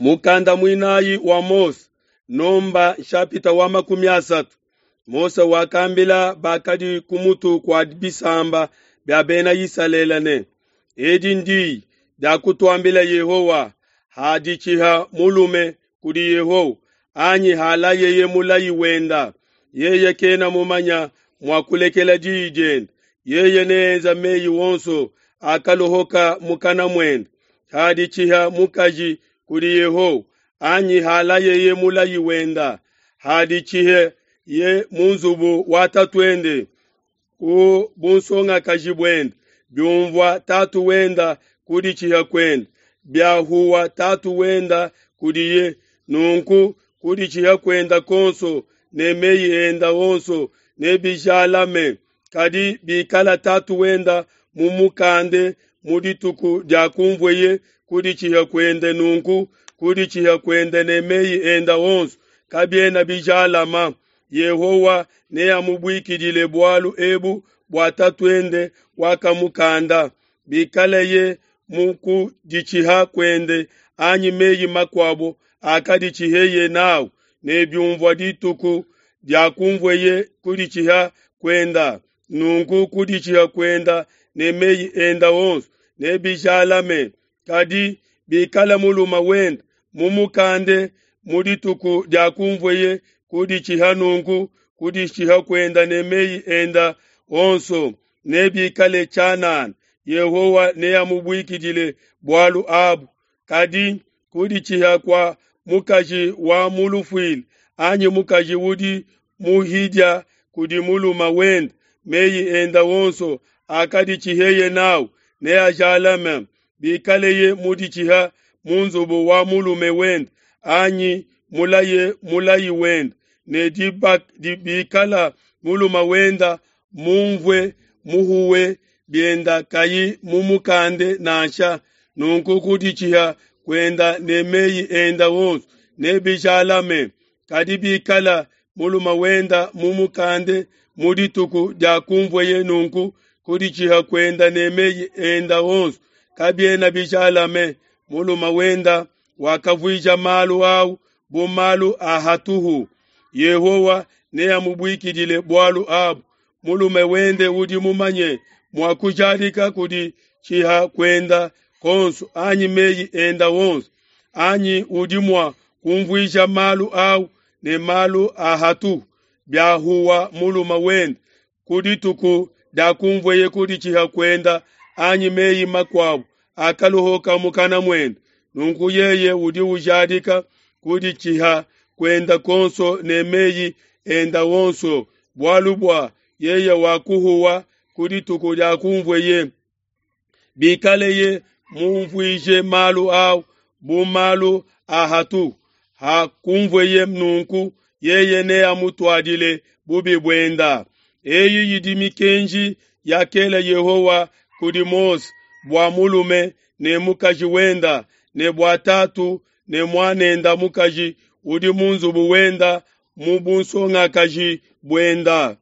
Mukanda muinayi wa Mose, Nomba nshapita wa 30. Mose wakambila bakadi ku mutu kua bisamba bia bena Isalele ne, Edi ndiyi diakutuambila Yehowa haditshiha mulume kudi Yehowa, anyi halayeye mulayi wenda, yeye kena mumanya mua kulekela diyi diende, yeye neenza meyi wonso akalohoka mukana muende. Haditshiha mukaji kudi Yehowa, anyi halayeye mulayi wenda, haditshihe ye mu nzubu wa tatuende ku bunsongakaji buende, biumvua tatu wenda kuditshiha kuende, biahuwa tatu wenda kudiye, nunku kuditshiha kuenda konso ne meyi enda onso nebijalame. Kadi bikala tatu wenda mumukande mu dituku dia kumvueye kuditshiha kuende, nunku kuditshiha kuende ne meyi enda onso kabiena bijalama. Yehowa neamubuikidile bualu ebu bua tatuende wakamukanda, bikaleye mu kuditshiha kuende anyi meyi makuabo akaditshiheye nawu, ne biumvua dituku diakumvueye kuditshiha kuenda, nunku kuditshiha kuenda ne meyi enda onso nebijalame. Kadi bikala mulume wenda mumukande mu dituku diakumvueye kuditshiha, nunku kuditshiha kuenda ne meyi enda onso nebikale tshianana, Yehowa neamubuikidile bualu abu. Kadi kuditshiha kua mukaji wa mu lufuila anyi mukaji udi muhidia kudi mulume wende, meyi enda onso akaditshiheye nawu neajalame, bikaleye muditshiha mu nzubu wa mulume wende anyi mulaye mulayi wende, ne bikala mulume wenda mumvue muhuwe bienda kayi mumukande nansha, nunku kuditshiha kuenda ne meyi enda onso nebijalame. Kadi bikala mulume wenda mumukande mu dituku diakumvueye, nunku kuditshiha kuenda ne meyi enda onso kabiena bijalame. Mulume wenda wakavuija malu au bu malu a hatuhu, Yehowa neamubuikidile bualu abu. Mulume wende udi mumanye mua kujadika kuditshiha kuenda konso anyi meyi enda onso, anyi udi mua kumvuija malu au ne malu a hatuhu, biahuwa mulume wende ku dituku diakumvueye kuditshiha kuenda anyi meyi makuabo akalohoka mukana muende, nunku yeye udi ujadika kuditshiha kuenda konso ne meyi enda onso, bualu bua yeye wakuhuwa ku dituku diakumvueye. Bikaleye mumvuije malu au bu malu a hatuhu, hakumvueye nunku yeye neamutuadile bubi buenda. Eyi idi mikenji yakela Yehowa kudi Mose bua mulume ne mukaji wenda, ne bua tatu ne muanenda mukaji udi mu nzubu wenda mu bunsongakaji buenda.